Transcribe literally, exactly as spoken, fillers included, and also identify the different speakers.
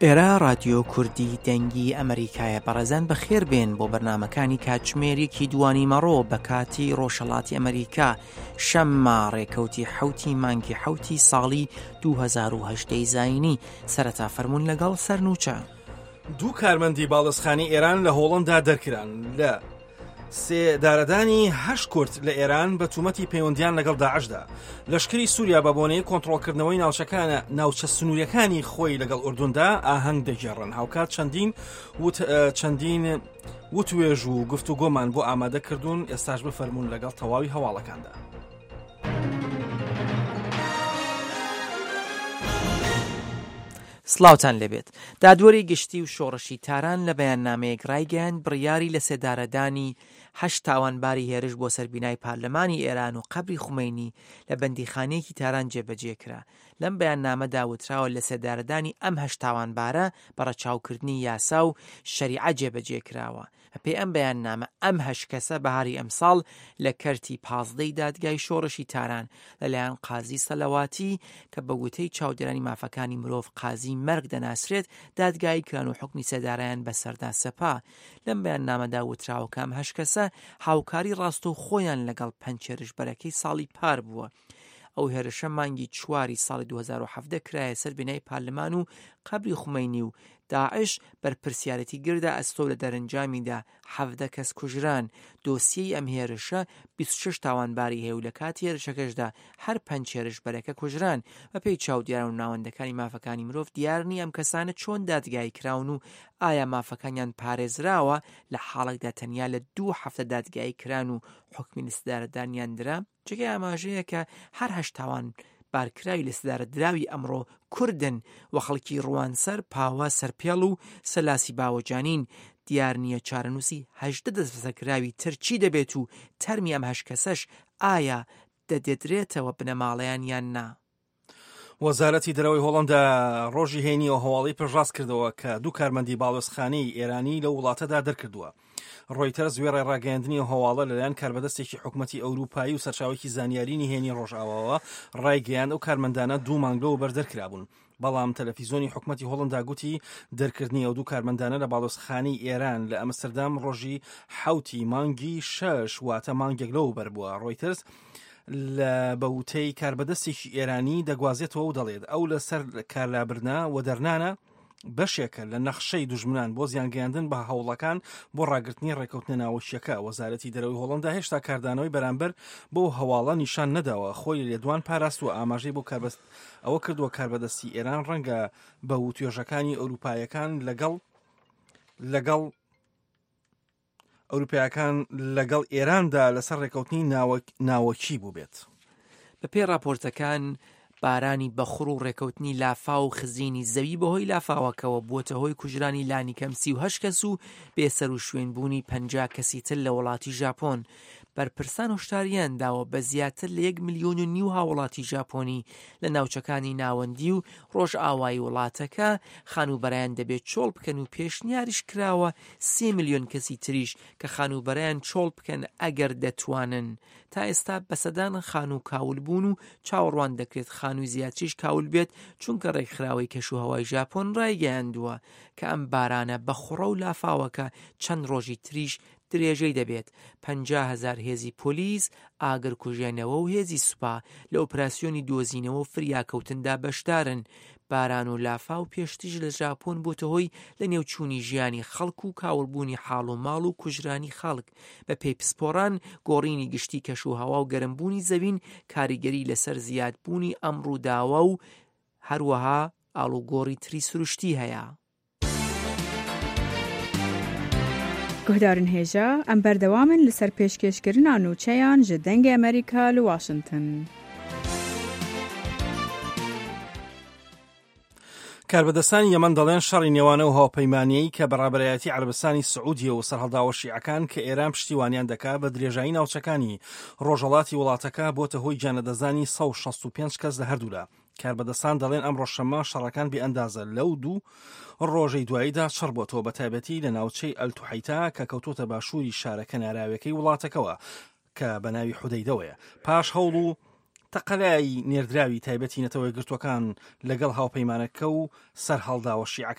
Speaker 1: ئێرە ڕادیۆ کوردی دەنگی ئەمریکایە. بەڕێزان بەخێر بێن بۆ بەرنامەکانی کاتژمێر یەکی دوانی مەڕۆ بە کاتی ڕۆژهەڵاتی ئەمریکا، شەممە ڕێکەوتی حەوتی مانگی حەوتی ساڵی دوو هەزار و هەژدە زایینی. سەرەتا فەرموون لەگەڵ سەرنوچە.
Speaker 2: دوو کارمەندی باڵەسخانی ئێران لە هۆڵندا دەرکران لە سێدارەدانی هەشت کورد لە ئێران بە تومەتی پەیوەندیان لەگەڵ داعشدا. لەشکری سووریا بە بۆنەی کۆنترۆڵکردنەوەی ناوچەکانە ناوچە سنووریەکانی خۆی لەگەڵ ئوردوندا ئاهەنگ دەگێڕن. هاوکات چەندین وت چەندین وتوێژ و گفتوگۆمان بۆ ئامادەکردوون، ئێستاش بفەرمونون لەگەڵ تەواوی هەواڵەکاندا.
Speaker 1: سڵاوتان لێبێت. دادوەری گشتی و شۆڕشی تاران لە بەیاننامەیەک ڕایگەیاند بڕیاری لە سێدارەدانی هەشت تاوانباری هێرش بۆ سەر بینای پارلەمانی ئێران و قەبری خومەینی لە بەندیخانەیەکی تاران جێبەجێ کرا. لەم بەیاننامەدا وتراوە لە سێدارەدانی ئەم هەشت تاوانبارە بە ڕەچاوکردنی یاسا و شەریعە جێبەجێ کراوە. بەپێی ئەم بەیاننامە ئەم هەشت کەسە بەهاری ئەمساڵ لە کەرتی پازدەی دادگای شۆڕشی تاران لەلایەن قازی سەلەواتی کە بە وتەی چاودێرانی مافەکانی مرۆڤ قازی مەرگ دەناسرێت دادگایی کران و حکمی سێدارەیان بەسەردا سەپا. لەم بەیاننامەدا وتراوە کە ئەم هەشت کەسە هاوکاری ڕاستەوخۆیان لەگەڵ پەنج هێرشبەرەکەی ساڵی پار بووە. ئەو هێرشە مانگی چواری ساڵی دوو هەزار و حەڤدە کرایە سەر بینای پارلەمان و قەبری خومەینی و داعش بەرپرسیارەتی گردە ئەستۆ لە دەرەنجامیدا حەڤدە کەس کوژران. دۆسیەی ئەم هێرشە بیست و شەش تاوانباری هەیە و لە کاتی هێرشەکەشدا هەر پەنج هێرشبەرەکە کوژران. بەپێی چاودێران و ناوەندەکانی مافەکانی مرۆڤ دیار نییە ئەم کەسانە چۆن دادگایی کراون و ئایا مافەکانیان پارێزراوە لە حاڵێکدا تەنیا لە دوو هەفتە دادگایی کران و حکمی لەسێدارەدانیان درا. جێگەی ئاماژەیە کە هەر هەشت تاوان بارکراوی لەسێدارە دراوی ئەمڕۆ کوردن و خەڵکی ڕوانسەر، پاوە، سەرپێڵ و سەلاسی باوەجانین. دیار نییە چارەنووسی هەژدە دەستبەسەرکراوی تر چی دەبێت و تەرمی ئەم هەشت کەسەش ئایا دەدێدرێتەوە بنەماڵەیان یان نا.
Speaker 2: وەزارەتی دەرەوەی هۆڵندا ڕۆژی هەینی ئەو هەواڵی پشتڕاست کردەوە کە دوو کارمەندی باڵوێزخانەی ئێرانی لەو وڵاتەدا دەرکردووە. ڕۆیتەرز وێڕای ڕاگەیاندنی ئەو هەواڵە لەلایەن کاربەدەستێکی حکوومەتی ئەوروپایی و سەرچاوێکی زانیاری نهێنی ڕۆژئاواوە ڕایگەیاند ئەو کارمەندانە دوو مانگ لەوەبەر دەرکرابوون. بەڵام تەلەفیزیۆنی حکوومەتی هۆڵندا گوتی دەرکردنی ئەو دوو کارمەندانە لە باڵوێزخانەی ئێران لە ئەمستردام ڕۆژی حەوتی مانگی شەش واتە مانگێک لەوەبەر بووە. ڕۆیتەرز لە بەوتەی کاربەدەستێکی ئێرانی دەگوازێتەوە و دەڵێت ئەو لەسەر کارلابردنە و دەرنانە بەشێکە لە نەخشەی دوژمنان بۆ زیانگەیاندن بە هەوڵەکان بۆ ڕاگرتنی ڕێکەوتنە ناوەکیەکە. وەزارەتی دەرەوەی هۆڵندا هێشتا کاردانەوەی بەرامبەر بۆ هەواڵە نیشان نەداوە، خۆی لە لێدوان پاراست و ئاماژەی بۆ کاربەست ئەوە کردووە کاربەدەستی ئێران ڕەنگە بە وتوێژەکانی ئەوروپایەکان لەگەڵ لەگەڵ ئەوروپایەکان لەگەڵ ئێراندا لەسەر ڕێکەوتنی ناوەکی بوو بێت.
Speaker 1: بەپێی ڕاپۆرتەکان بارانی بەخوڕ و ڕێکەوتنی لافاو و خزینی زەوی بەهۆی لافاوەکەوە بووەتە هۆی کوژرانی لانیکەم سی و هەشت کەس و بێسەر و شوێنبوونی پەنجا کەسی تر لە وڵاتی ژاپۆن. بەرپرسان هۆشداریان داوە بە زیاتر لە یەک ملیۆن و نیو هاوڵاتی ژاپۆنی لە ناوچەکانی ناوەندی و ڕۆژئاوایی وڵاتەکە خانووبەرەیان دەبێت چۆڵ بکەن و پێشنیاریش کراوە سێ ملیۆن کەسی تریش کە خانووبەرەیان چۆڵ بکەن ئەگەر دەتوانن. تا ئێستا بەسەدان خانوو کاول بوون و چاوەڕوان دەکرێت خانووی زیاتریش کاول بێت، چونکە ڕێکخراوەی کەشوهەوای ژاپۆن ڕایگەیاندووە کە ئەم بارانە بە خوڕە و لافاوەکە چەند ڕۆژی تریش درێژەی دەبێت. پەنجا هەزار هێزی پۆلیس، ئاگرکوژێنەوە و هێزی سوپا لە ئۆپراسیۆنی دۆزینەوە و فریاکەوتندا بەشدارن. باران و لافاو پێشتریش لە ژاپۆن بۆتە هۆی لەنێوچوونی ژیانی خەڵک و کاولبوونی حاڵ و ماڵ و کوژرانی خەڵک. بە پێی پسپۆڕان گۆڕینی گشتی کەش و هەوا و گەرمبوونی زەوین کاریگەری لەسەر زیادبوونی ئەم ڕووداوە و هەروەها ئاڵوگۆڕی تری سروشتی هەیە.
Speaker 3: گوهدارن هێژا ئەم بەردەوامن لەسەر پێشکێشکردنا نوچەیان ji دەنگê ئەمریکا لە واشنگتن.
Speaker 2: کاربەدەستانی یەمەن دەڵێن شەڕی نێوانە و هاوپەیمانیەی کە بەڕابەرایەتی عەرەبستانی سعودیە و سەرهەڵداوە شیعەکان کە ئێران پشتیوانیان دەکا بە درێژایی ناوچەکانی ڕۆژهەڵاتی وڵاتەکە بۆتە هۆی گیانلەدەستدانی سەد و شەست و پێنج کەس لە هەردوولا. کاربەدەستان دەڵێن ئەمڕۆ شەممە شەڕەکان بێئەندازە لەو دوو ڕۆژەی دواییدا چڕ بۆتەوە، بە تایبەتی لە ناوچەی ئەلتوحەیتا کە کەوتۆتە باشووری شارە کەناراویەکەی وڵاتەکەوە کە بە ناوی حودەیدەوەیە. پاش هەوڵ و تەقەلای نێردراوی تایبەتی نەتەوە یەکگرتووەکان لەگەڵ هاوپەیمانەکە و سەرهەڵداوە شیعەکان